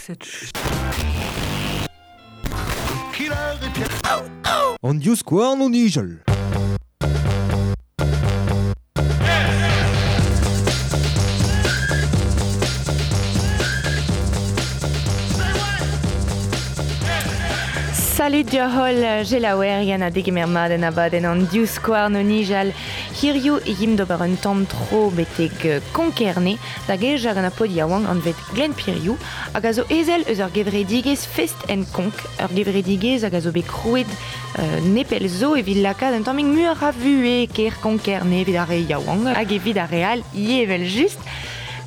Cette An divskouarn o nijal. Salut dioc'h gelaouerien ha degemer mat en abadenn an divskouarn o nijal. Hiziv e yimp d'ober un tamm tro betek Konkerne da gejañ gant ar paotr yaouank anvet Glenn Piriou hag a zo ezel eus ur gevredigezh Fest en Konk, ur gevredigezh hag a zo bet krouet nepell zo evit lakaat un tammig muioc'h a vuhez kêr Konkerne evit ar re yaouank hag evit ar re all ivez evel-just.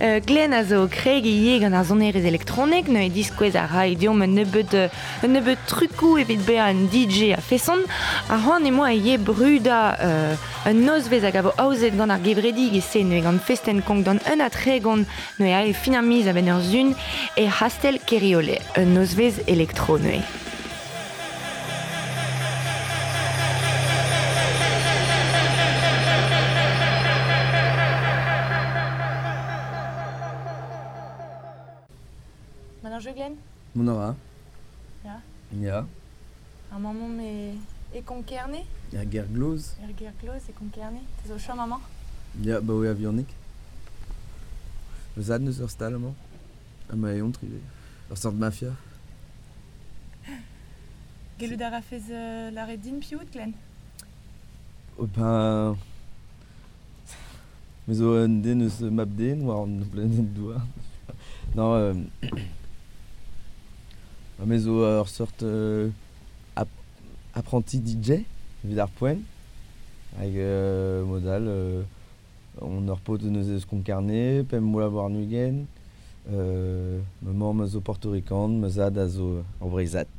Glenn a zo kreg ivez gant ar sonerezh elektronek, neuze diskouez a ra deomp un nebeud, un nebeud trukoù evit bezañ un DJ a-feson. Ar c'hoant emañ ivez brudañ un nozvezh hag a vo aozet gant ar gevredigezh-se neuze gant Festenn Konk d'an 31 neuze e fin ar miz a-benn ur sun e c'hastell Keriolet, un nozvezh elektro neuze. Mont ar jeu, Glenn? Mont a ra. Ya. Ya. Ar mammon e, e Konkerne? Er Gergloz. Er Gergloz e Konkerne. Te zo chom amañ? Ya, ba oe a-vihanik. Ma zad neus ur stal amañ. Ha ma eontr ivez. Ur seurt mafia. Gellout a rafez lâret din piv out, Glenn? Oh ben... Me zo un den eus mab-den war an blanedenn douar. Non, me zo ur seurt apprenti DJ evit ar poent. Hag mod all, on ur paotr neuze eus Konkarne, pemp bloaz warn-ugent. Ma mamm a zo portorikan, ma zad a zo ur Breizhad.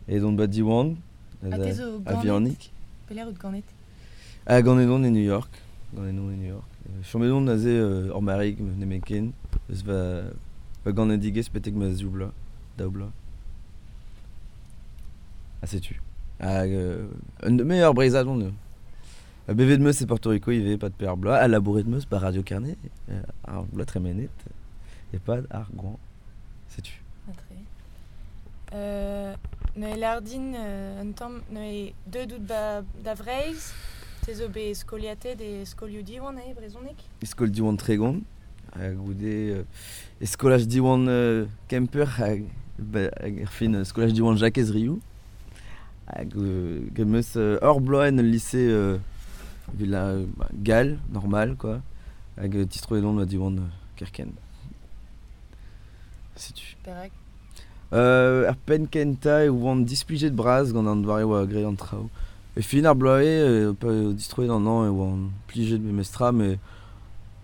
Edon ba Diwan, Ha te zo a ganet? vihanik. Pelec'h out ganet? Ha ganet on e New York. Ganet on e New York. Chomet on aze ur mareig nemetken, eus va, va ganedigezh betek ma ziv bloaz, daou bloaz. Ha setu. Hag un me ur Breizhad on eo. Ha bevet 'meus e Porto Rico ivez e-pad pevar bloaz, ha labouret 'meus ba Radio Kerne, ar bloaz tremenet, e-pad ar goañv. Setu. Matre. Neuze lâr din un tamm, neuze deuet out ba da Vreizh, te zo bet skoliatet e skolioù Diwan eo, brezhoneg? E skol Diwan Tregont, ha goude e skolaj Diwan Kemper hag ba hag er fin skolaj Diwan Jakez Riou. Hag graet 'meus ur bloaz en ul lise evit la ba, gall, normal quoi. Hag tistroet on ba Diwan kerkent. Setu. Perak? Er penn kentañ e oan displijet bras gant an doare oa graet an traoù. E fin ar bloaz eo, pa eo distroet an hañv e oan plijet memestra, met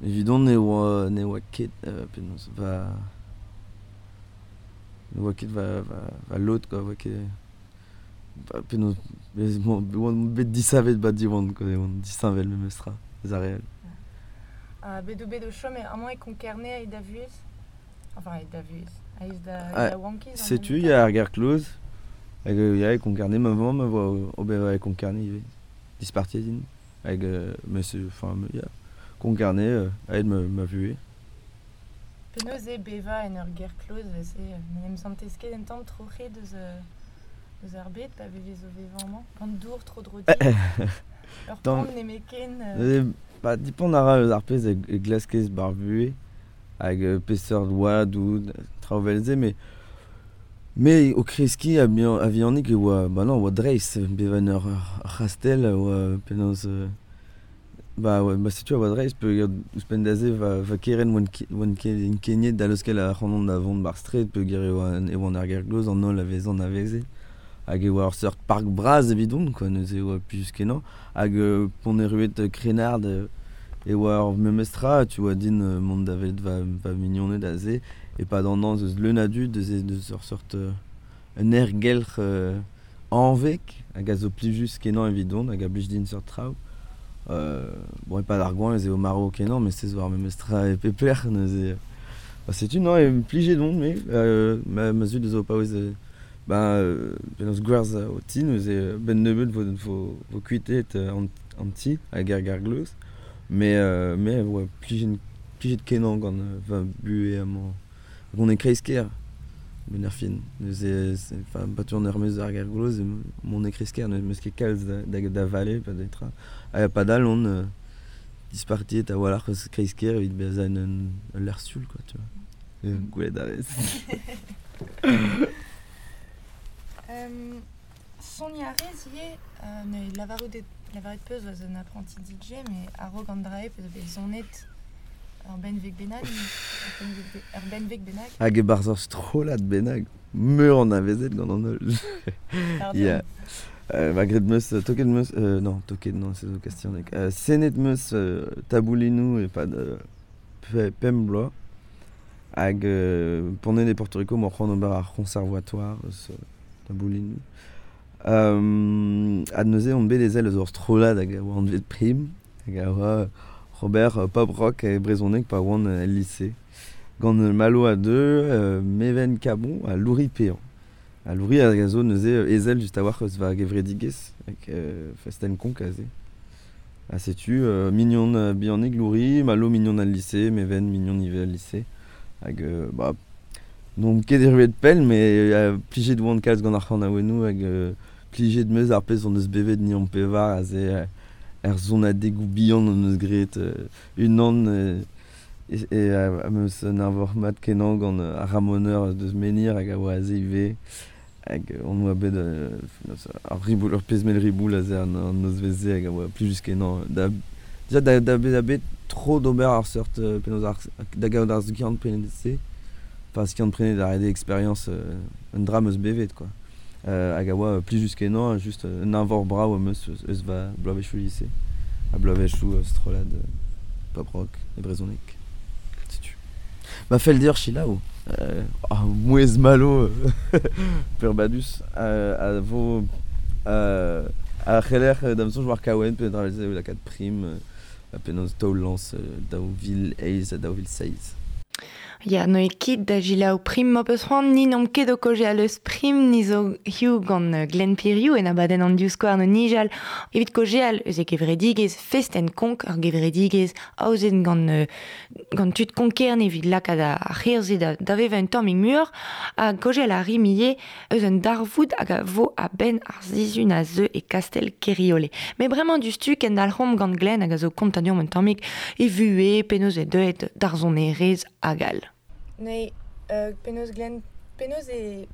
evidon ne oa ne oa ket penaos va ne oa ket va va va lod quoi, oa ket ba penaos bez oan bet disavet ba Diwan quoi, e oan disheñvel memestra eus ar re all. Ha bet out bet o chom amañ e Konkerne a-hed da vuhez? Enfin, a-hed da vuhez, a-hed da Ah, yaouankiz en setu, même ya temps. ar Gergloz, hag ya e Konkerne, ma mamm a oa ober e Konkerne ivez. Dispartiet int. Hag me enfin, ya, Konkerne a-hed ma, ma vuhez. Penaos eo bevañ en ur gêr kloz, se n'en em santez ket un tamm troc'het eus, eus ar bed pa vevez o vevañ amañ? Gant dour tro-dro dit? Ur Tamm pont nemetken Ba dipant a ra eus ar pezh e glaskez ba'r vuhez hag peseurt oad out, traoù evel-se, met me o kreskiñ a-vihanik e oa, ba non, oa dreist, bevañ en ur c'hastell a oa penaos ba ouais, ba setu a oa dreist peogwir ouzhpenn da se va, va kerent oant ket oant ket enkeniet da leuskel ac'hanon da vont ba'r straed peogwir e oan e oan er Gergloz an holl a vez anaveze. Hag e oa ur seurt park bras evidon quoi, neuze e oa plijus-kenañ. Hag p'on erruet krennard e oa ur memestra, tu oa din mont da welet va, va mignoned aze, e-pad an hañv eus leun a dud, eus eus ur seurt un aergelc'h hañvek hag a zo plijus-kenañ evidon hag a blij din seurt traoù. Bon, e-pad ar goañv ez eo marv-kenañ, met se zo ar memestra e pep lec'h neuze. Ba setu, non, e plijet on, me, ma, ma zud a zo paouez ba penaos gwerzh o ti, neuze benn nebeut vo, vo, vo kuitaet an, an ti hag ar Gergloz. Mais me oa plijet, plijet kenañ gant va buhez amañ. Hag on e kreiz-kêr. Ben ar fin. Neuze, enfin, pa tu an ur meus ar gergloz, mon e kresker, ne meus ket kalz da vale, pa da tra. Ha padal on dispartiet a walc'h eus kreisker evit bezañ un l'air sioul, quoi, tu vois. Gwelet a rez. Sonia rez ivez, ne lavaret peus oaz un apprenti DJ, mais a-raok an drae peus bet zonet ur benveg bennak, ur benveg bennak. Hag e barzh ur strollad bennak, meur an avezet gant an holl. Ya. Ma gret meus, toket meus, non, toket, non, c'est zo kastianek. Senet meus taboulinou e pad pemp bloaz. Hag ponet e Porto Rico, m'oc'h c'hoant ober ar conservatoire eus taboulinou. Ad neuze on bet ezel eus ur strollad hag a oa anvet Prim, hag a oa Robert pop rock e brezhoneg pa oan el lycée. Gant Malo a deux, Meven Cabon ha Louri Péan. Ha Louri hag a zo neuze ezel just a-walc'h eus va gevredigezh hag festen konk aze. Ha setu mignon bihanik Louri, Malo mignon al lycée, Meven mignon ivez al lycée. Hag ba n'on ket erruet pell, mais plijet oan kalz gant ar c'hanaouennoù hag plijet meus ar pezh on eus bevet ni an pevar aze er zonadegou bihan on eus graet unan e am eus un arvor mat kenañ gant ar ramoneur deus menhir hag a oa aze ivez hag on oa bet ar riboul, ur pezh mell riboul aze an nozvezh-se hag a oa plijus kenañ da da da da bet tro d'ober ar seurt penaos ar da gaout ar skiant prenet-se enfin skiant prenet ar ede expérience un dra meus bevet quoi. Hag a oa plijus kenañ just un arvor brav am eus eus va bloavezhioù lycée ha bloavezhioù strollad pop rock e brezhoneg. Setu. Ma fell deoc'h selaou mouezh Malo peurbadus a vo a c'heller da'm soñj war Kaouenn pe dra vel lakaat Prim penaos taol-lañs 2008 ha 2007. Ya, no e ket da gilaou Prim ma peus c'hoant, ni n'omp ket o kojeal eus Prim, ni zo hiziv gant Glenn Piriou en abadenn an divskouarn o nijal, evit kojeal eus e gevredigezh fest en konk, ar gevredigezh aozet gant tud konkern evit lakaat ar c'herze da vevañ un tammig muioc'h, ha kojeal a rim ivez eus un darvoud hag a vo a-benn ar sizhun a zeu e Kastell Keriolet. Met bremañ diouzhtu kendalc'homp gant Glenn hag a zo kontañ deomp un tammig e vuhez, penaos eo deuet d'ar sonerezh hag all. Neuze, penaos Glenn, penaos e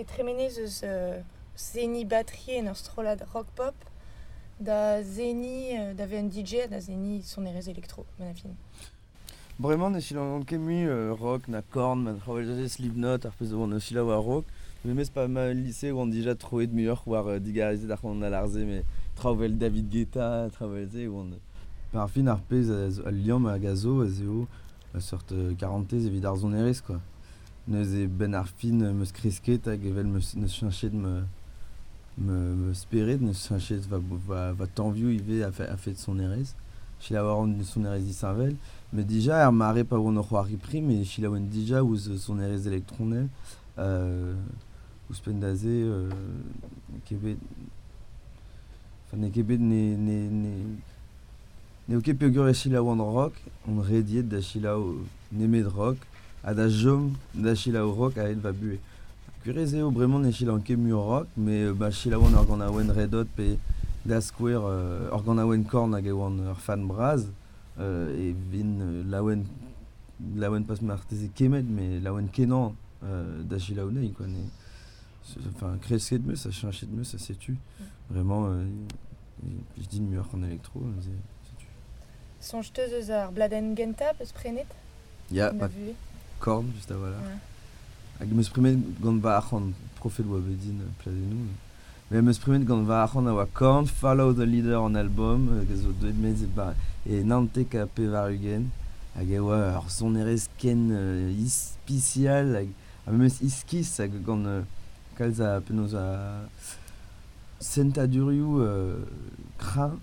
tremenez eus seniñ batterie en ur strollad rock-pop da seniñ, da vezañ un DJ, da seniñ sonerezh elektro, ma na fin. Bremañ ne selaouan ket mui rock na korn, ma traoù Slipknot, ar pezh zo an selaou ar rock. Memes pa ma lycée oan dija troet muioc'h war digarezet ar c'hoant alarze, mais traoù vel David Guetta, traoù vel se oan. Par fin ar pezh al liamm hag a zo ez eo ur seurt karantez evit ar sonerezh quoi. Neuze ben ar fin meus kresket hag evel meus neus cheñchet me spered, neus cheñchet va tañvioù ivez a fet sonerezh. Selaou a ran sonerezh disheñvel, met dija er mare pa oan o c'hoari Prim e selaouen dija ouzh sonerezh elektronel ouzhpenn da se ket bet enfin n'eo ket bet ne n'eo ket peogwir e selaou an rock, on rediet da selaou nemet rock, ha da chom da selaou rock a-hed va buhez. Gwir eo bremañ ne selaouan ket mui rock, mais ba selaouan ur ganaouenn Red Hot pe da skouer ur ganaouenn Korn hag e oan ur fan bras, e vin laouen pas marteze kemet, mais laouen kenañ da selaou anezhi quoi. Ne, enfin kresket meus, ha cheñchet meus, ha setu. Vraiment, je dis muioc'h an elektro, neuze. Soñj teus eus ar bladenn gentañ peus prenet? Ya, ba Korn, just a voilà. Hag meus prenet gant va arc'hant, profet oa bet din pladennoù. Mais meus prenet gant va arc'hant a oa Korn, Follow the Leader an album, hag a zo deuet mez e nantek ha pevar-ugent, hag e oa ur sonerezh ken ispisial, hag ha memes iskis hag gant kalz a penaos a sentadurioù kreñv.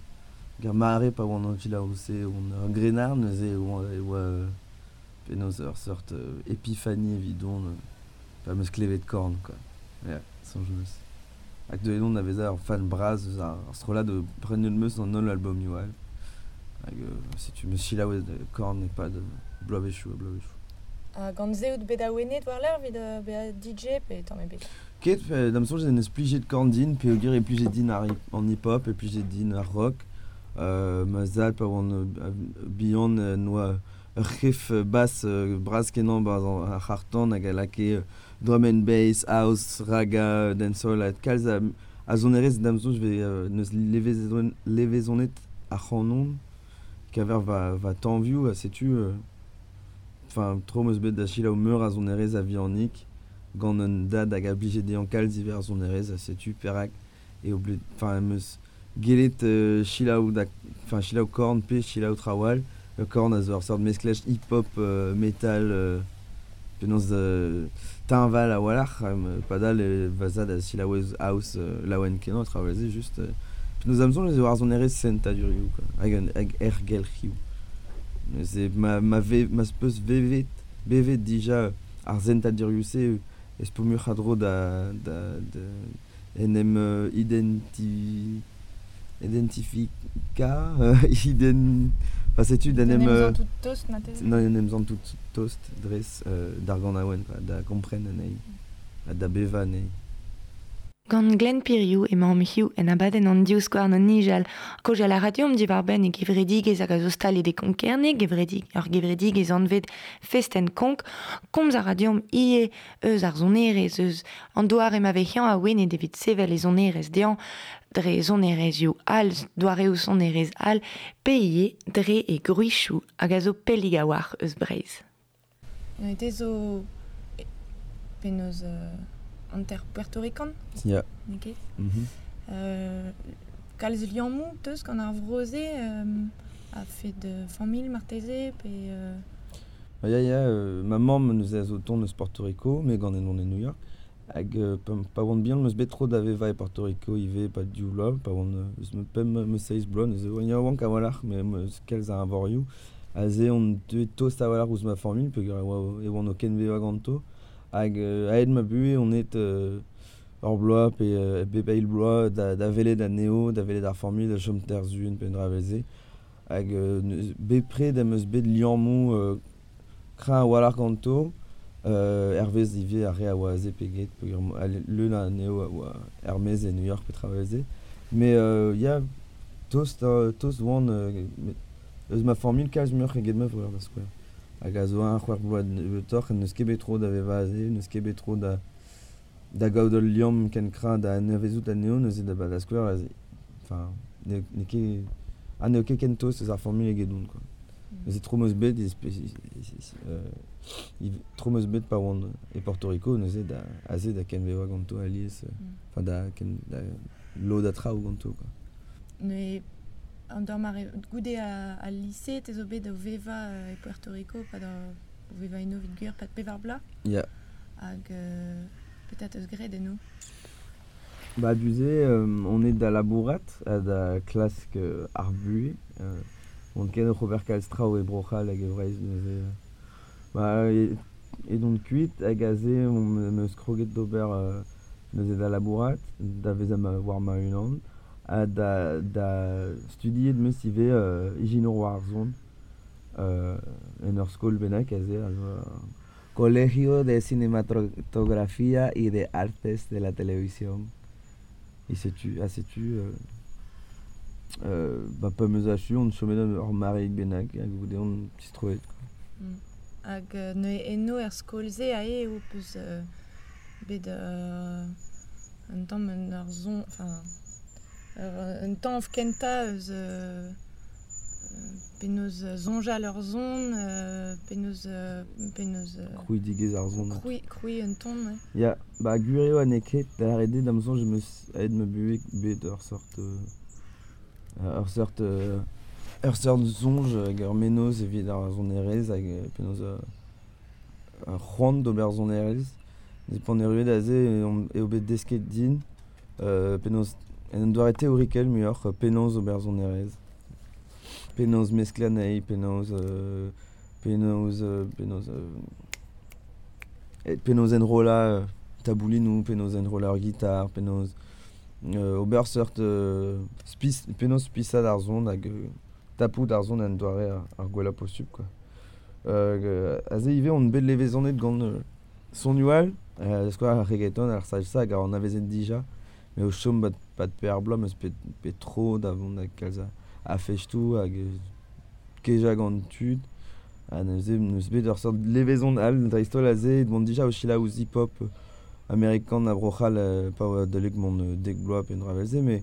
Gar mare pa oan an selaou-se oan ur grennard neuze e oa penaos ur seurt épiphanie evidon pa meus klevet Korn quoi. Ya, soñj meus. Hag deuet on da vezañ ur fan bras eus ar strollad prenet meus an holl albumioù all. Hag setu meus selaouet Korn e-pad bloavezhioù ha bloavezhioù. Ha gant se out bet awenet war l'er vid bezañ DJ pe tamm ebet? Ket, da'm soñj en eus plijet korn din, peogwir e plijet din ar an hip-hop, e plijet din ar rock. Ma zad pa oan bihan noa ur c'hef bass bras kenañ barzh ar c'harr-tan hag a lakae drum and bass, house, raga, dancehall, ha kalz a sonerezh da'm soñj vez neus levezonet ar c'hanon kaver va tañvioù ha setu... Enfin, tro 'm eus bet da selaou meur a sonerezh a-vihanik gant un dad hag a blije dezhañ kalz ivez ar sonerezh ha setu perak eo bet enfin em eus gellet selaou da enfin selaou korn pe selaou traoù all. Korn a zo ur seurt mesklaj hip-hop metal penaos teñval a-walc'h padal va zad a selaouez house laouen kenañ traoù se just penaos da'm soñj ez eo ar sonerezh sentadurioù quoi hag ergelc'hioù. Neuze ma ma ve ma 'z peus bevet dija ar sentadurioù-se ez po muioc'h a-dro da da da en em identifika iden enfin setu d'en em zantout tost marteze? Non, en em zantout tost dres d'ar ganaouenn quoi, da kompren anezhi ha da bevañ anezhi. Gant Glenn Piriou emañ hiziv en abadenn an divskouarn o nijal. Kaozeal a ra deomp diwar-benn e gevredigezh hag a zo staliet e Konk-Kerne, ur gevredigezh anvet Festen Konk. Komz a ra deomp ivez eus ar sonerezh, eus an doare ma vez eñ awenet evit sevel e sonerezh dezhañ dre sonerezhioù all, doareoù sonerezh all, pe ivez dre e gwrizioù hag a zo pellig a-walc'h eus Breizh. Te zo penaos hanter Puerto Rican? Ya. N'eo ket? Kalz liammoù teus gant ar vro-se a-fet familh marteze pe Ya, ya, ma mamm neuze a zo tont eus Porto Rico, me gant en e New York. Hag pa oan bihan 'm eus bet tro da vevañ e Porto Rico ivez pa div vloaz, pa oan eus ma pemp ma seizh bloaz neuze oan yaouank a-walc'h, me 'm eus kalz a eñvorioù. Aze on deuet tost a-walc'h ouzh ma familh peogwir e oan o kenvevañ ganto. Hag aet ma buhez on aet ur bloaz pe bep eil bloaz da welet anezho, da welet ar familh, da chom terzhun pe un dra evel-se. Hag bepred em eus bet liammoù kreñv a-walc'h ganto, hervez ivez ar re a oa aze pe get, peogwir leun anezho a oa er-maez e New York pe tra evel-se. Mais ya, tost oan eus ma familh kalz muioc'h eget ma vreur da skouer. Hag a zo un c'hwec'h bloaz nebeutoc'h, n'eus ket bet tro da vevañ aze, n'eus ket bet tro da gaout ul liamm ken kreñv da anavezout anezho, neuze da da skouer aze. Enfin, n'eo ket ha n'eo ket ken tost eus ar familh egedon quoi. Neuze tro 'm eus bet tro 'm eus bet pa oan e Porto Rico neuze da aze da kenvevañ ganto alies, enfin da ken da lod a traoù ganto quoi. Neuze an d'ar mare goude al lycée te zo bet o vevañ e Puerto Rico pa da o vevañ eno evit gwir pad pevar bloaz? Ya. Hag petra 'teus graet eno? Ba du-se on est da labourat ha da klask ar vuhez. On ken oc'h ober kalz traoù e Bro-C'hall hag e Breizh neuze. Ba edon kuit hag aze on 'm eus kroget d'ober neuze da labourat, da vezañ war ma-unan. Ha da studiet 'm eus ivez ijinour war ar son en ur skol bennak aze a zo Colegio de Cinematografía y de Artes de la Televisión. E setu, ha setu ba pa 'm eus achu on chomet ur mareig bennak hag goude on tistroet. Hag neuze eno er skol-se aze eo peus bet un tamm un ur son, enfin un tañv kentañ eus penaos soñjal ur son, penaos penaos Krouidigezh ar son. Krouiñ un ton, ouais. Ya, ba gwir eo ha n'eo ket da lâret eo da'm soñj em eus aet ma buhez bet ur seurt ur seurt soñj hag ur mennozh evit ar sonerezh hag penaos ur c'hoant d'ober sonerezh. Pan erruet aze eo bet desket din penaos en un doare teorikel muioc'h penaos ober sonerezh. Penaos mesklañ anezhi, penaos penaos penaos penaos enrollañ taboulinoù, penaos enrollañ ur gitar, penaos ober seurt spis penaos spisat ar son hag tapout ar son en doare ar gwellañ posupl quoi. Aze ivez on bet levezonet gant sonioù all, da ar reggaeton, ar salsa hag an avezen dija, mais o chom bat pe ar bloaz meus bet tro da vont da kalz a fechtou hag keja gant tud, ha neuze bet ur sort levezon all, dreist-holl aze, mont dija o selaou ouzh hip-hop amerikan a Bro-C'hall pa oa dalek mont dek bloaz pe un dra vel-se, mais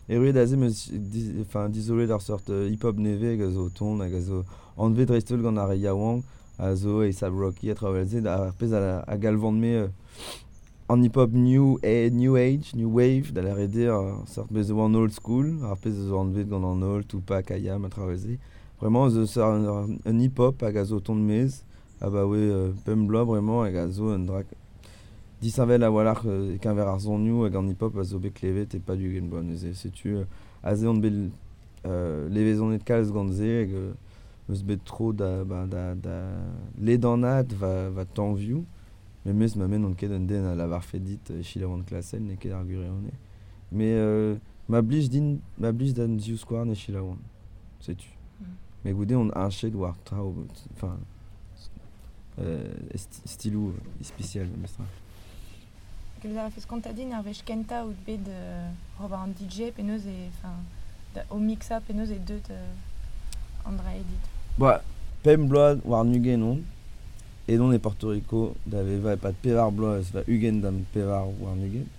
erruet aze meus dizolet ar sort hip-hop nevez hag a zo ton hag a zo anvet dreist-holl gant ar re yaouank, a zo A$AP Rocky a tra vel-se, ar pezh a galvan-me an hip-hop new age, new wave, da lâret eo ar sort bez zo an old school, ar pezh a zo anvet gant an old, Tupac, IAM a tra vel-se. Vraiment, zo un hip-hop hag a zo ton mez, abaoe pemp bloaz vraiment hag a zo un dra disheñvel a-walc'h keñver ar sonioù hag an hip-hop a zo bet klevet e pad ugent bloaz neuze. Setu aze on bet levezonet kalz gant se hag eus bet tro da ledanat va tanvioù. Memes ma men on ket un den a lavarfe dit selaou an klasel, n'eo ket ar gwirionez. Mais ma blij din, ma blij d'an divskouarn e selaou an. Setu. Mais goude on arched war traoù, enfin stiloù ispisial memestra. Gellout a rafes kontañ din ar wech kentañ out bet ober an DJ penaos e, enfin, o mixañ penaos e deut an dra dit. Ba, pemp bloaz war ugent on, edon e Porto Rico da vevañ e-pad pevar bloaz va ugent da'm pevar war ugent.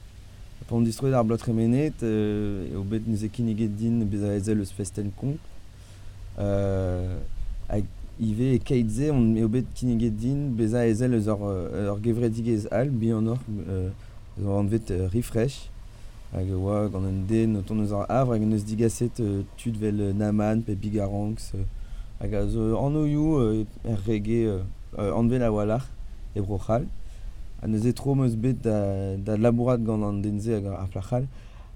Pa on distroet ar bloaz tremenet, eo bet neuze kinniget din bezañ ezel eus festenn Konk. Hag ivez e keit-se on eo bet kinniget din bezañ ezel eus ur gevredigezh all bihanoc'h zo anvet Refresh hag e oa gant un den o tont eus ar Havre hag en deus digaset tud vel Naman pe Bigaranx hag a zo anvioù er reggae anvet a-walc'h e Bro-C'hall. Ha neuze tro 'm eus bet da labourat gant an den-se hag ar plac'h all.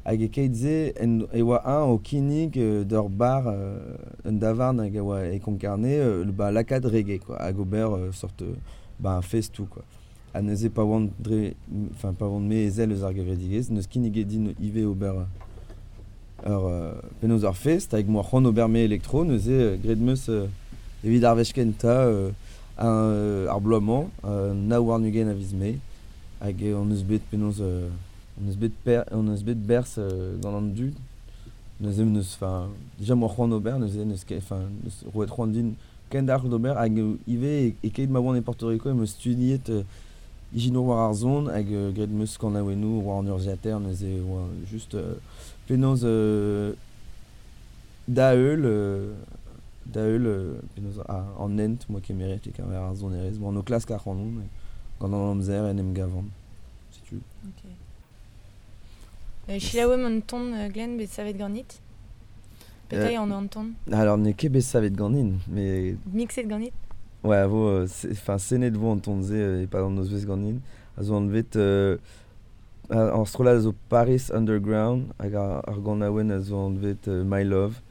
Hag e keit-se e oa eñ o kinnig d'ur bar un davarn hag a oa e Konk-Kerne ba lakaat reggae quoi, hag ober sort ba festoù quoi. Ha neuze pa oan dre, enfin pa oan me ezel eus ar gevredigezh, neus kinniget din ivez ober ur penaos ur fest hag moa c'hoant ober me elektro, neuze graet 'm eus evit ar wech kentañ ar bloaz-mañ, nav warn-ugent a viz Mae, hag on eus bet penaos on eus bet berzh gant an dud. Neuze neus, enfin, dija moa c'hoant ober, neuze neus ket, enfin, neus roet c'hoant din kendalc'h d'ober hag ivez e keit ma oan e Porto Rico em eus studiet ijinour war ar son hag graet 'm eus kanaouennoù war an urzhiataer neuze oa just penaos da heul penaos an hent moa kemeret e-keñver ar sonerezh. Bon, o klask ac'hanon gant an amzer en em gavan. Setu. Ok. Selaouemp an ton Glenn bet savet ganit. Petra eo an ton? Alors n'eo ket bet savet ganin, mais Mixet ganit? Ouais, a vo, enfin, senet vo an ton-se e-pad an nozvezh ganin. A zo anvet ar strollad a zo Paris Underground hag ar ganaouenn a zo anvet My Love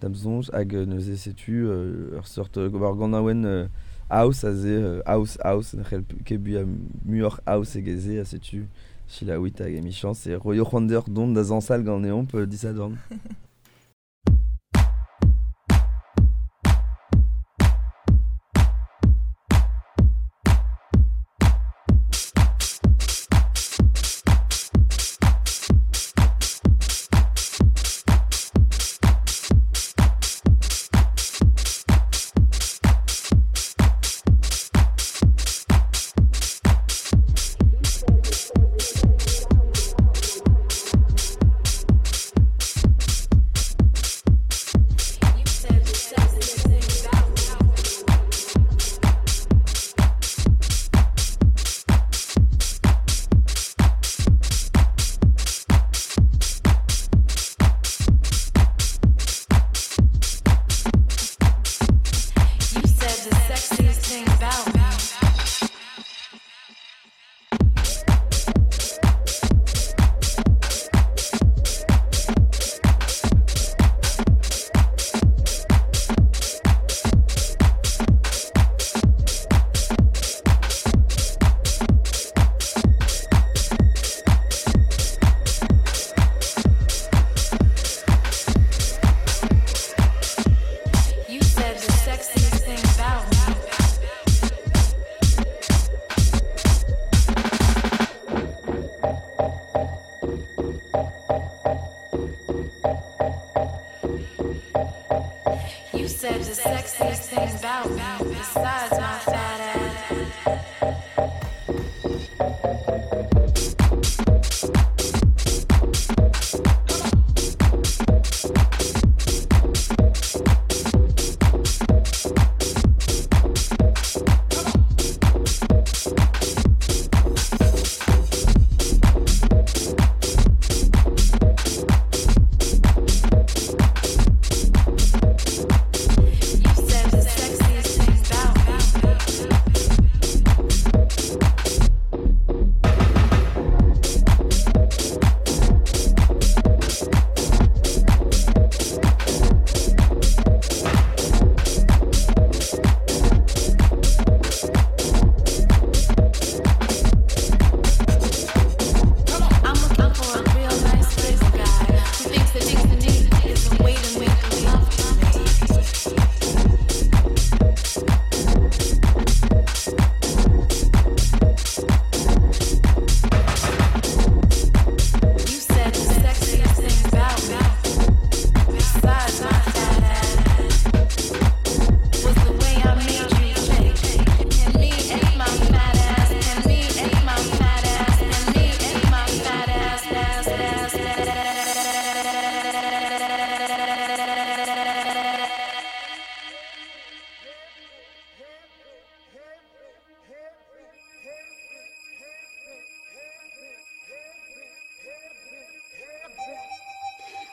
da'm soñj hag neuze setu ur seurt ur ganaouenn house aze house ne c'hell ket buiañ muioc'h house eget se ha setu selaouit hag emichañs e roio c'hoant deoc'h dont da zañsal ganeomp disadorn. You said the sexiest thing about me. said the sexiest thing about me, besides my fat ass. You said the sexiest thing about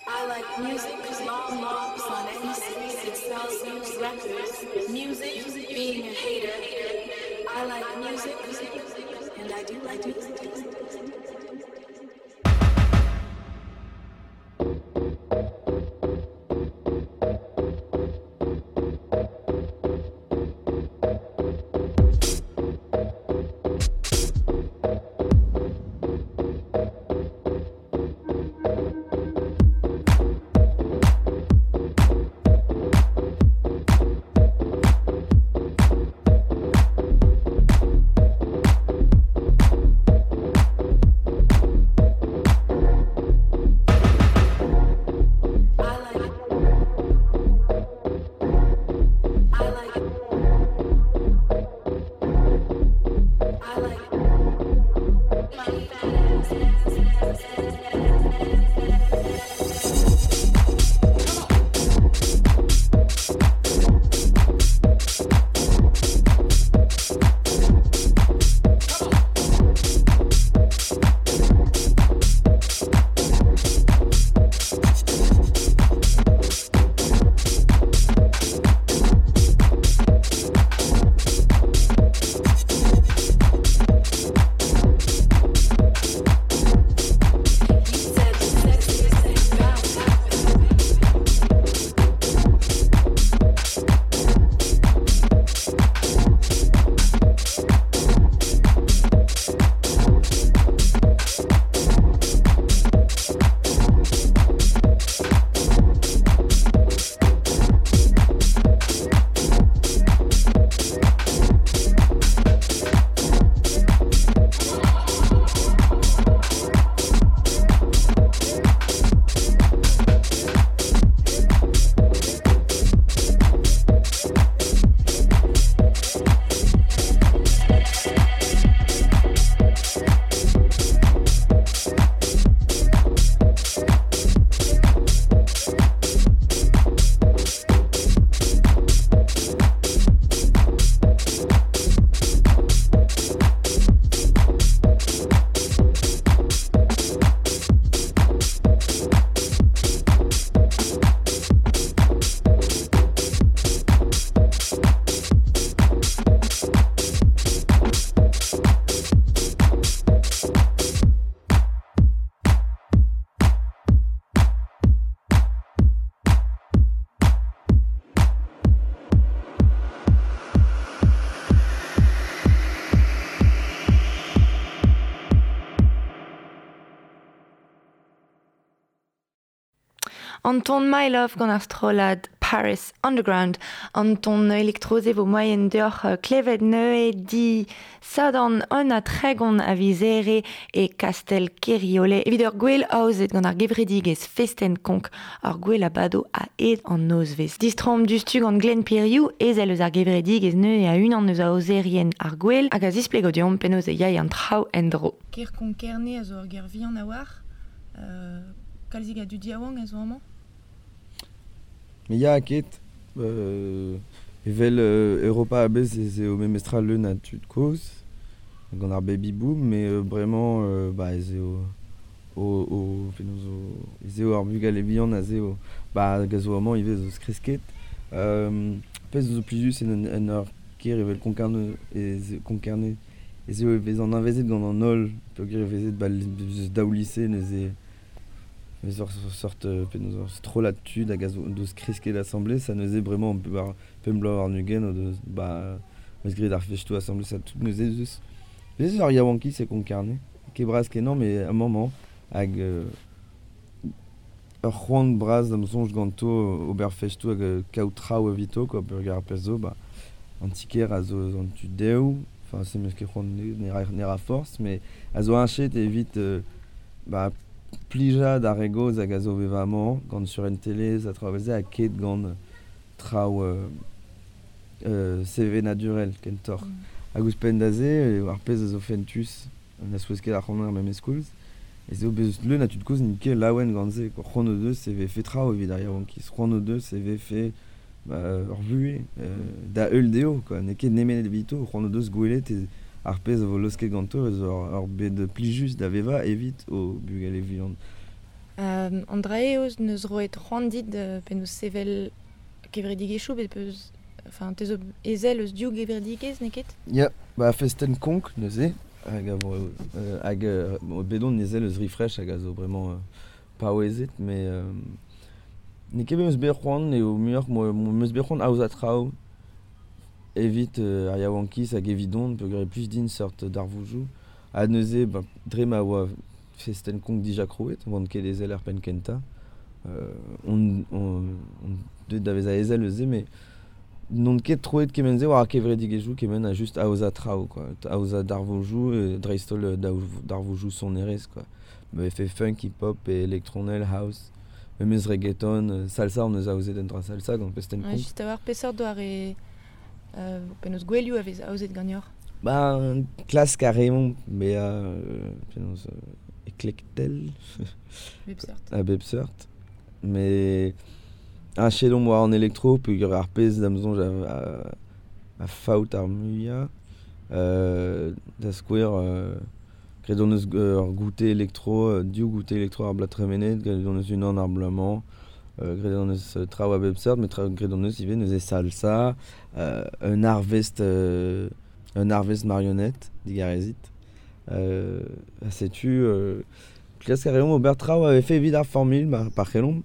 I like music, long locks on any street that sells used records. Music, being a hater. I like music, and I do like music. I like my fat ass. You said the sexiest thing about me. An ton My Love gant ar strollad Paris Underground. An ton elektroze vo moyen deoc'h klevet neue di sadan on a tregon a vizere e Kastel Keriole. Evit ur gwell aozet gant ar gevredigez festen konk ar gwell abado a ed an nozvez. Distrom dustu gant Glenn Piriou ezel eus ar gevredigez neue a unan eus aozerien ar gwell hag a zisplego deomp penaos e yai an traoù endro. Ker konkerne a zo ur ger vihan a war, kalzig a dudi a zo amañ? Me ya ket, evel Europa a-bez ez eo memestra leun a tud kozh, gant ar baby boom, mais bremañ ba ez eo o penaos o ez eo ar bugale bihan aze o ba hag a zo amañ ivez eus kresket. Pezh zo plijus en ur ker evel Konkarne ez Konkarne ez eo e vez an anavezet gant an holl peogwir e vezet ba daou lise neuze vez ur sort penaos ur strollad tud hag a zo deus kresket asambles ha neuze bremañ war pemp bloaz warn-ugent o deus ba eus graet ar festoù asambles ha tout neuze eus vez ur yaouankiz e Konkarne ket bras kenañ mais amañ mañ hag ur c'hoant bras da'm soñj ganto ober festoù hag kaout traoù evito quoi peogwir ar pezh zo ba an ti-kêr a zo an tu dehoù enfin se 'meus ket c'hoant ne ra forzh mais a zo heñchet evit ba plija d'ar re gozh hag a zo vevañ amañ gant surentelezh ha traoù evel-se ha ket gant traoù sevenadurel kentoc'h. Hag ouzhpenn da se, ar pezh a zo fentus, na souezh ket ac'hanon er memes koulz, ez eo bez leun a tud kozh n'int ket laouen gant se. C'hoant o deus e vefe traoù evit ar yaouankiz, c'hoant o deus e vefe ur vuhez da heul dezho, quoi. N'eo ket nemet evito, c'hoant o deus gwelet ar pezh a vo laosket ganto eus ur bed plijus da vevañ evit o bugale vihan. An dra eo neus roet c'hoant dit penaos sevel kevredigezhioù bet peus enfin te zo ezel eus div gevredigezh, n'eo ket? Ya, ba festen konk neuze hag a vo hag bet on ezel eus Refresh hag a zo bremañ paouezet mais n'eo ket meus bet c'hoant eo muioc'h meus bet c'hoant aozañ traoù evit ar yaouankiz hag evidon peogwir e plij din seurt darvoudoù ha neuze ba dre ma oa festen konk dija krouet oan ket ezel er penn kentañ on deuet da vezañ ezel eus se mais n'on ket troet kement-se war ar kevredigezhioù kement a just aozañ traoù quoi aozañ darvoudoù dreist-holl darvoudoù sonerezh quoi ma vefe funk hip-hop pe elektronel house memes reggaeton salsa on eus aozet un dra salsa gant festen konk. Just a-walc'h peseurt doare penaos gwelioù a vez aozet ganeoc'h? Ba klask a reomp bezañ penaos eklektel bep seurt. A bep seurt mais heñchet omp war an elektro peogwir ar pezh da'm soñj a faot ar muiañ da skouer graet hon eus ur goûter elektro div goûter elektro ar bloaz tremenet graet hon eus unan ar bloaz-mañ graet hon eus traoù a bep seurt met graet hon eus ivez neuze salsa un arvest marionnette digarezit ha setu klask a reomp ober traoù a vefe evit ar familh par c'hellomp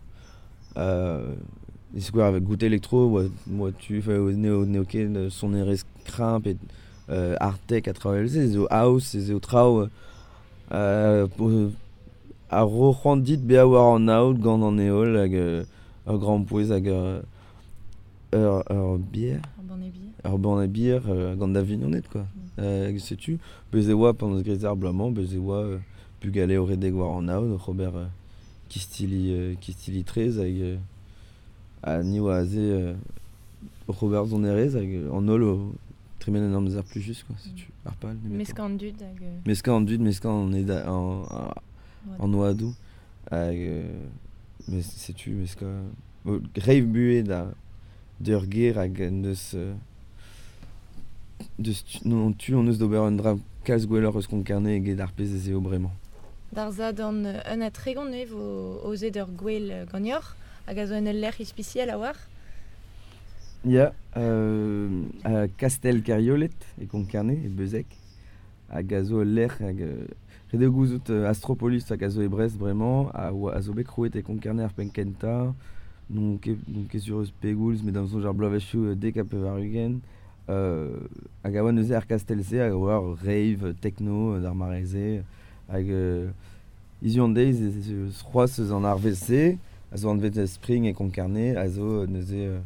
skouer avec goûter elektro oa tu n'eo ket sonerezh kreñv pe artek ha traoù evel-se ez eo house ez eo traoù a ro c'hoant dit bezañ war an aod gant an heol hag ur grampouezh hag ur bier ur banne bier gant da vignoned quoi. Hag setu bez e oa pan eus graet ar bloaz-mañ bez e oa bugale o redek war an aod oc'h ober kistilli traezh hag ha ni oa aze oc'h ober sonerezh hag an holl o tremen an amzer plijus quoi setu ar pal meskañ an dud hag meskañ an dud meskañ an ed an oadoù hag mais setu meskañ reiñ buhez da d'ur gêr hag neus deus tu hon eus d'ober un dra kalz gwelloc'h eus Konkarne eget ar pezh ez eo bremañ. D'ar sadorn 31 eo vo aozet ur gwel ganeoc'h hag a zo en ul lec'h ispisial a-walc'h. Ya, Kastel Keriolet e Konkarne, e Beuzeg, hag a zo ul lec'h hag ret eo gouzout Astropolis hag a zo e Brest bremañ a zo bet krouet e Konkarne ar penn kentañ n'on ket sur eus pegoulz met da'm soñj ar bloavezhioù 90 hag a oa neuze ar kastell-se hag a oa ur rave techno d'ar mare-se hag hiziv an deiz ez eus c'hoazh eus an arvest-se A zo anvet Spring e Konkarne, a zo neuze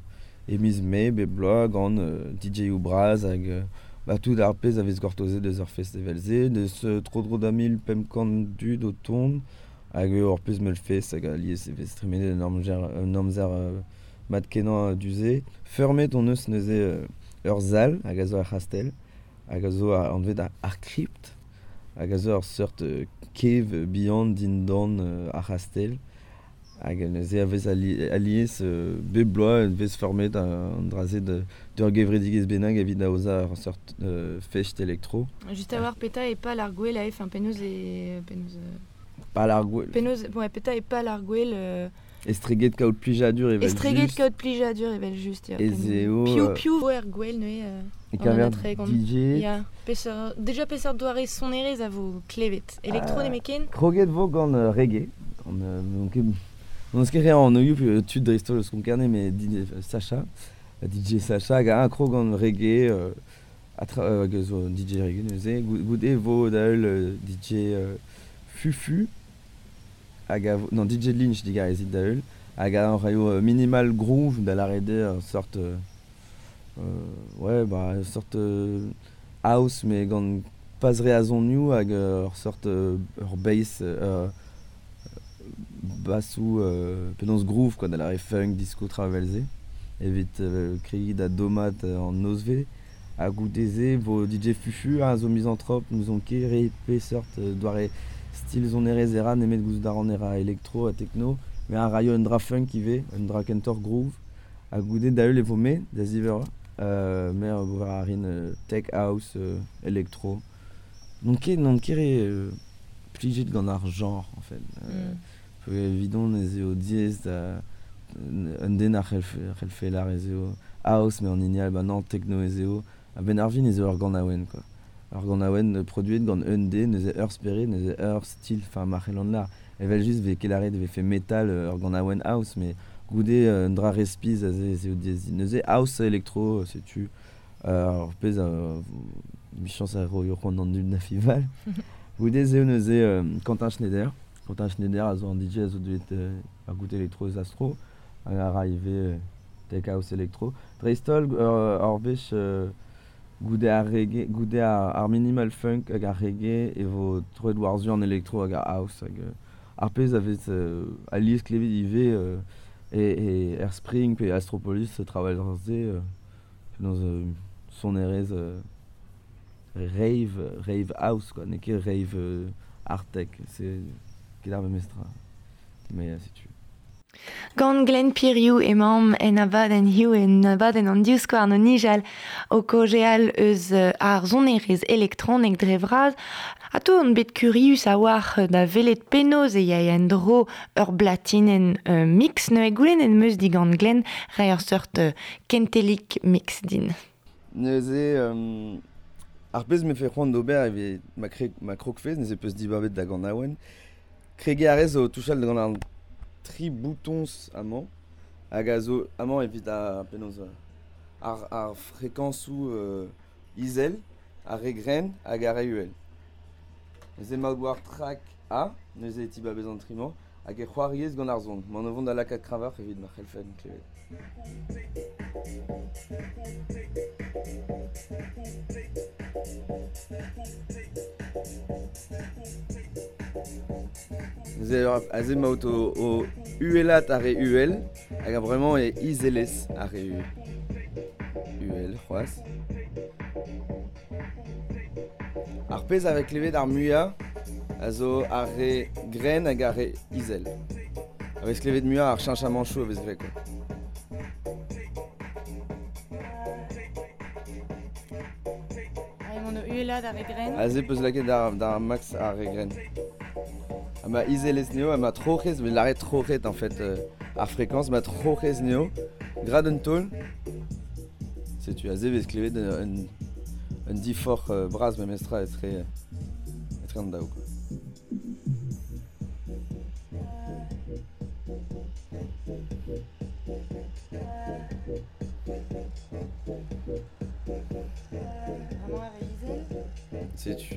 e miz Mae be bloaz gant DJ ou braz hag ba tout ar pezh a vez gortoze deus ur festival-se, deus tro-dro da mil pemp kant dud o tont, hag ur pezh meul fest hag alies e vez tremenet un amzer mat kenañ du-se. Feurmet on eus neuze ur zal hag a zo ar c'hastell, hag a zo anvet ar crypt, hag a zo ur seurt kev bihan dindan ar c'hastell. Hag neuze a vez alies bep bloaz vez feurmet an dra-se d'ur gevredigezh bennak evit aozañ ur seurt fest elektro. Just a war peta e pal ar gwel aef, penaos e... Penaos, pal ar gwel. Penaos, bon, peta e pal ar gwel... Estreget kaout plijadur evel just. Estreget kaout plijadur evel just, ya. Ez eo... Piou vo er gwel neuze... E kaver DJ... Ya, peseurt, déjà peseurt doare sonerezh a vo klevet. Elektro nemeken? Kroget vo gant reggae. Gant, donc, on eus ket re an oioù tud dreist-holl eus Konkarne, mais Sacha, DJ Sacha, hag a krog gant reggae, hag zo DJ reggae neuze, goude vo da heul DJ Fufu, hag a vo, non, DJ Lynch digarezit da heul, hag a raio minimal groove da l'arede ur sort, ouais, bah, ur sort house, mais gant pas re a zonioù hag ur sort ur bass, bassou penaos groove quoi, da la funk, disco, travelze, evit kregi da domat an nozve, ha goudeze vo DJ Fufu a zo misanthrope, nous on ket re peseurt doare style sonerezh era nemet gouzout ar an era elektro ha techno, mais a raio un dra funk ivez, un dra kentor groove, ha goude da heul e vo me, da ziver, mer gover a rin tech house, elektro. Non ket re plijet gant ar genre en fait. Evidon ez eo diaes da un den a c'hellfe lar ez eo house, mais an hini all ba non techno ez eo. A-benn ar vin ez eo ur ganaouenn quoi. Ur ganaouenn produet gant un den, neuze ur spered, neuze ur stil, enfin ma c'hellan lar. Evel just vez kelaret vez fait metal ur ganaouenn house, mais goude un dra respiz aze ez eo diaes. Neuze house elektro, setu ur pezh michañs a roio c'hoant an dud na fival. Goude ez eo neuze Quentin Schneider. Quentin Schneider a zo an DJ a zo duet ar gout elektro eus Astro, hag a ra ivez tech house elektro. Dreist-holl ur wech goude ar reggae, goude ar minimal funk hag ar reggae e vo troet war-zu an elektro hag ar house. Hag ar pezh a vez alies klevet ivez e Airspring pe Astropolis travel se penaos sonerezh rave house quoi, n'eo ket rave art tech, c'est ket ar memestra, mais setu. Gant Glenn Piriou e mamm en abadenn hiziv en abadenn an divskouarn o nijal o kojeal eus ar sonerezh elektronek dre vras. Ato on bet kurius a-walc'h da welet penaos e yae en-dro ur blatinenn mix neuze goulennet em eus digant Glenn reiñ ur seurt kentelik mix din. Neuze ar pezh me fe c'hoant d'ober evit ma krogfez, neuze peus dibabet da ganaouenn. Krege a rez o touchal gant an tri boutons amañ, hag a zo amañ evit ar penaos ar frekañsoù izel, ar re grenn hag ar re uhel. Neuze emaout war track A, neuze e tibabez an tri-mañ, hag e c'hoariez gant ar son. M'en o vont da lakaat kravac'h evit ma c'hellfen klevet. Neuze aze emaout o uhelat ar re uhel, hag a vraiment e izelez ar re uhel c'hoazh. Ar pezh a vez klevet ar muiañ a zo ar re grenn hag ar re izel. A vez klevet muiañ ar cheñchamanchoù a vez graet quoi. Uhelad ar re grenn. Aze peus lakaet d'ar max ar re grenn. Ha ma izelez neo, ha ma troc'hez, mais l'arrêt troc'het en fait, ar fréquence, ma troc'hez neo, grad un taol. Setu aze vez klevet un diforc'h bras memestra etre an daou quoi. Setu.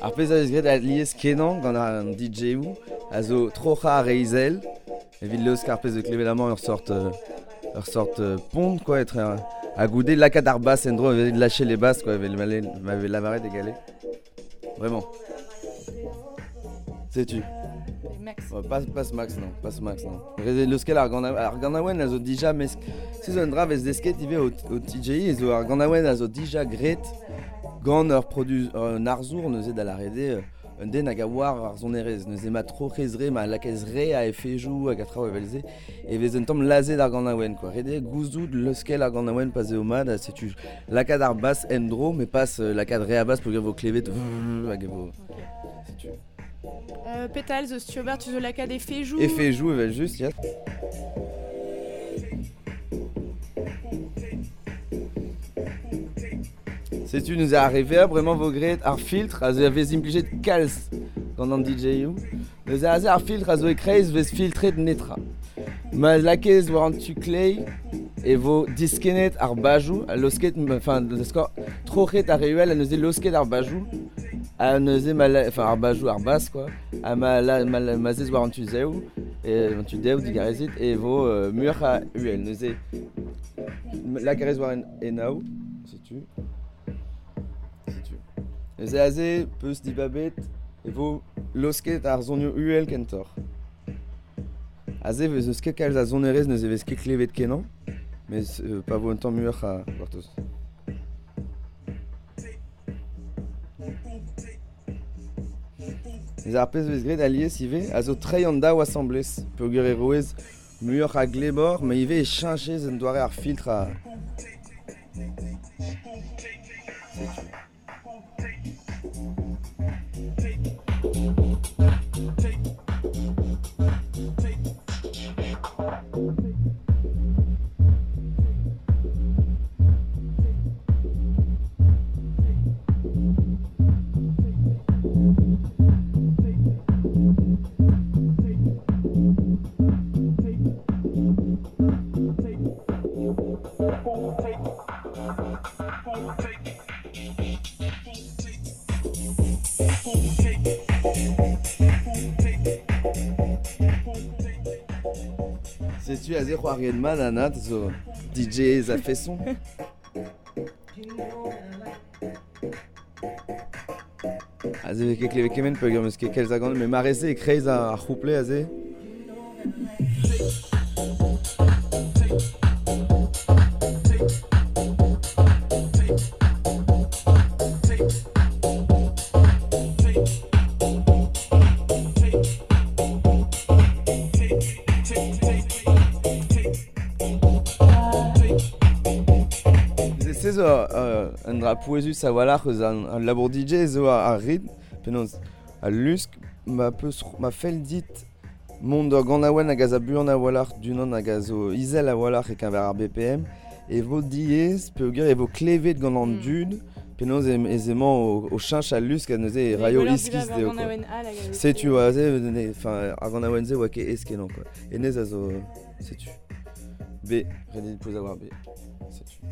Ar pezh a vez graet alies kenañ gant an DJ-où a zo troc'hañ ar reizel evit leosk ar pezh zo klevet amañ ur sort pont quoi etre ha goude lakaat ar bass en-dro evit lâcher les basses quoi evel ma vez lavaret e galleg. Vraiment. Setu. Max. Ouais, pas Max non, pas Max non. Reze leuskel ar ganaouenn a zo dija mesk. Se zo un dra vez desket ivez o TJI e zo ar ganaouenn a zo dija graet gant ur produ un arzour neuze da lâret un den hag a oar ar sonerezh neuze ma troc'hez re ma lakaez re a efejoù hag a traoù evel-se e vez un tamm lazhet ar ganaouenn quoi. Ret eo gouzout leuskel ar ganaouenn pa 'z eo mat ha setu lakaat ar bass en-dro met pas lakaat re a bass peogwir vo klevet hag e vo setu. Petal zo stiober tu zo lakaat efejoù. Efejoù evel just, ya. Setu neuze ar reverb, bremañ vo graet ar filtr a zo a vez implijet kalz gant an DJ-où. Neuze aze ar filtr a zo e-kreiz vez filtret netra. Ma lakaez war an tu kleiz e vo diskennet ar bajoù, ha laosket, enfin, troc'het ar re uhel ha neuze laosket ar bajoù. Ha neuze ma enfin ar bajoù ar bas quoi. Ha ma zez war an tu zehou, e an tu dehou digarezit, e vo muioc'h a uhel. Neuze lakarez war enaou, setu. Setu. Neuze aze peus dibabet e vo laosket ar sonioù uhel kentoc'h. Aze vez eus ket kalz a sonerezh neuze vez ket klevet kenañ, met pa vo un tamm muioc'h a gortoz. Neuze ar pezh vez graet alies ivez a zo treiñ an daou asambles peogwir e roez muioc'h a glebor, met ivez e cheñchez un doare ar filtr a... Setu. Setu aze c'hoariet mat anat zo DJ a feson. Aze vez ket klevet kement peogwir 'm eus ket kalz a gant, met marese e-kreiz ar c'houple aze. Se zo un dra pouezus a-walc'h eus an labour DJ zo ar ritm, penaos al lusk ma fell dit mont d'ur ganaouenn hag a za buan a-walc'h d'unan hag a zo izel a-walc'h e-keñver ar BPM, e vo diaes peogwir e vo klevet gant an dud penaos ez emañ o cheñch al lusk ha neuze e raio iskis dezho quoi. Setu aze, enfin ar ganaouenn-se oa ket aes kenañ quoi. Hennezh a zo setu. B, ret eo pouezañ war B. Setu.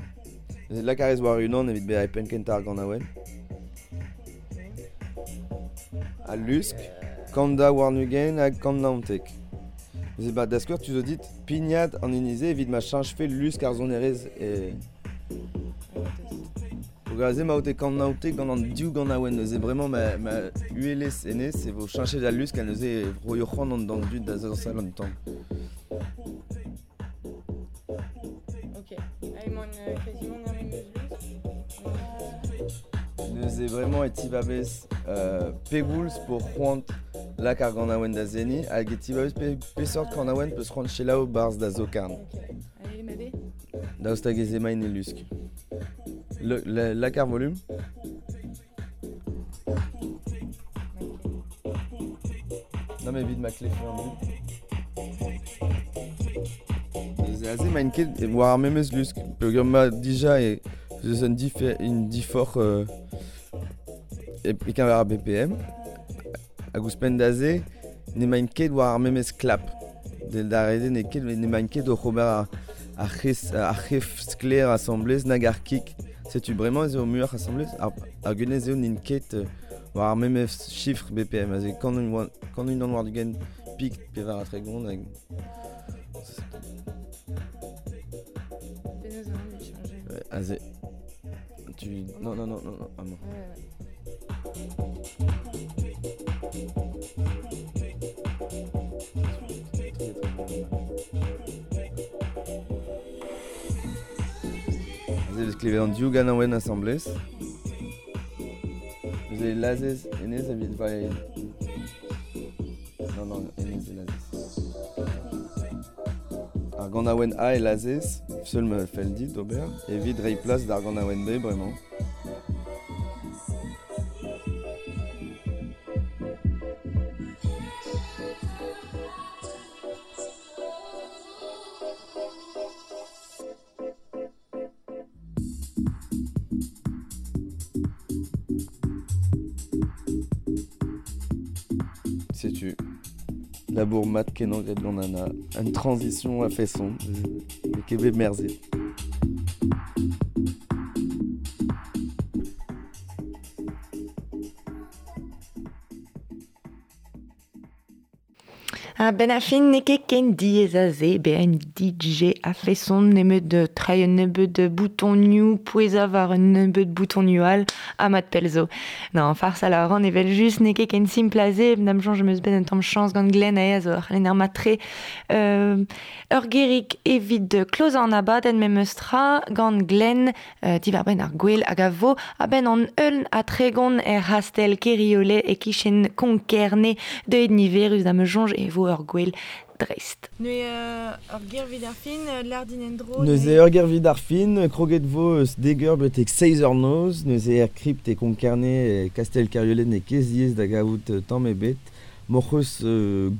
Lak a rez war unan evit bezañ e penn kentañ ar ganaouenn. Al lusk, 140 hag 119. Neuze ba da skouer tu zo dit pignat an hini-se evit ma cheñchfe lusk ar sonerezh e... Aze ma out e 119 gant an div ganaouenn neuze bremañ ma uhelez hennezh e vo cheñchet al lusk ha neuze e roio c'hoant d'an dud da zañsal an tamm. Ok. Emaon quasiment er memes lusk. Neuze bremañ e tibabez pegoulz po c'hoant lak ar ganaouenn da seniñ hag e tibabez peseurt kanaouenn peus c'hoant selaou 'barzh da zokarn. Ok. Allez, Madé. Daoust hag ez emaint e lusk. Lak ar volume. Non mais evit ma klefe an dud. Neuze aze maint ket war ar memes lusk peogwir ma dija e eus un diforc'h e-keñver ar BPM hag ouzhpenn da se n'emaint ket war ar memes klap. Da ret eo n'emaint ket oc'h ober ar c'hef sklaer asambles nag ar kick. Setu bremañ ez eo muioc'h asambles ar gudenn eo n'int ket War ar memes chiffre BPM, aze kant unan war 20 pik pevar a tregont hag... Penaos an evit changer. Ouais, aze... Tu... Non, non, non, non, non, ah non. Ouais, ouais. Aze vez klevet an div ganaouenn asambles. Neuze lazez, enez evit va... Non, non, enez e lazez. Ar ganaouenn A e lazez, seul me fell dit d'ober, evit reiñ plas d'ar ganaouenn B bremañ. Setu labour mat kenañ graet gant Anna, un transition a façon, e ket bet merzet. A ben a fin n'eo ket ken diaes aze, bezañ un DJ a feson nemet de treiñ un nebeud de boutonioù, pouezañ war un nebeud boutonioù all, ha mat pell zo. Non, farz a lavaran evel just n'eo ket ken simpl aze, da'm soñj em eus bet un tamm chañs gant Glenn aze a zo ur c'helenner mat-tre. Ur gerig evit klozañ an abadenn memes tra gant Glenn diwar-benn ar gwel hag a vo a-benn an eun ha tregont er c'hastell Keriolet e-kichen Konk-Kerne deuet niverus da'm soñj e vo ur gwel dreist. Neuze ur ger evit ar fin, lardin en-dro... Neuze ur ger evit ar fin, kroget vo eus dek eur betek seizh eur noz, neuze er kript e Konk-Kerne e Kastell Keriolet n'eo ket diaes da gavout tamm ebet. M'hoc'h eus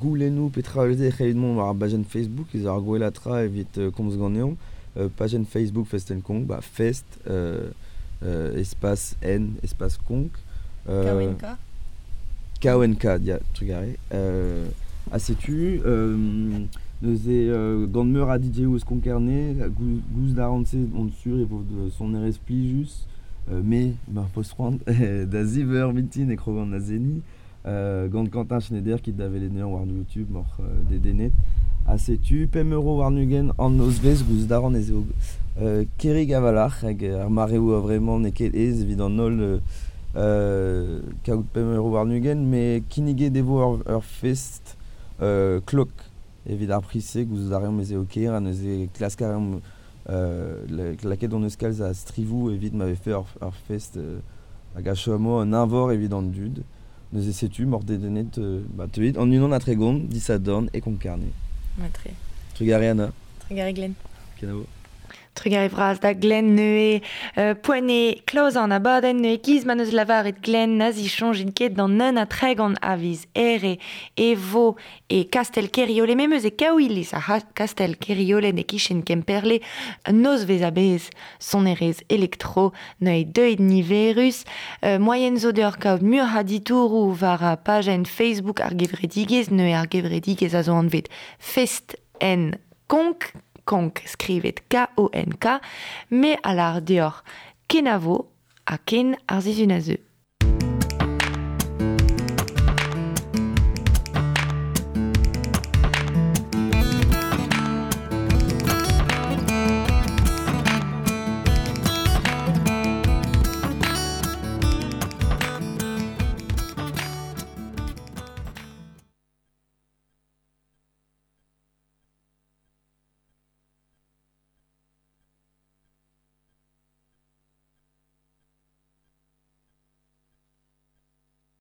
goulennoù petra neuze e c'hellit mont war ar bajenn Facebook, ez ar gwellañ tra evit komz ganeomp. Pajenn Facebook Fest en Konk, ba Fest, espace N, espace Konk. KONK. KONK, ya, trugarez. Ha setu, neuze gant meur a DJ eus Konk-Kerne, gouz da ran-se on sur e vo sonerezh plijus, me, mar post c'hoant, da ziv eur mintin e krogan da zeni, gant Quentin Schneider ki da welet anezhañ war YouTube moc'h dedennet. Ha setu, pemp euro warn-ugent an nozvezh gouz da ran ez eo kerig a-walc'h hag ar mareoù a vremañ n'eo ket aes evit an holl kaout pemp euro warn-ugent, met kinniget e vo ur fest klok evit ar priz-se, gouzout a reomp ez eo ker, ha neuze klask a reomp lakaet hon eus kalz a strivoù evit ma vefe ur fest hag a chomo un eñvor evit an dud. Neuze setu mort dedennet ba teuit an unan ha tregont, disadorn e Konk-Kerne. Matre. Trugarez Anna. Trugarez Glenn. Kenavo. Trugarez vras da Glenn neuze poent eo klozañ an abadenn neuze giz ma n'eus lavaret Glenn na zisoñjit ket d'an un ha tregont a viz Here e vo e Kastell Keriolet memes e Kaouilis ha Kastell Keriolet e-kichen Kemperle nozvezh a-bezh sonerezh elektro neuze deuet niverus moaien zo deoc'h kaout muioc'h a ditouroù war ar pajenn Facebook ar gevredigezh neuze ar gevredigezh a zo anvet Fest en Konk Konk skrivet K-O-N-K, me a lar deoc'h kenavo ha ken ar sizhun a zeu.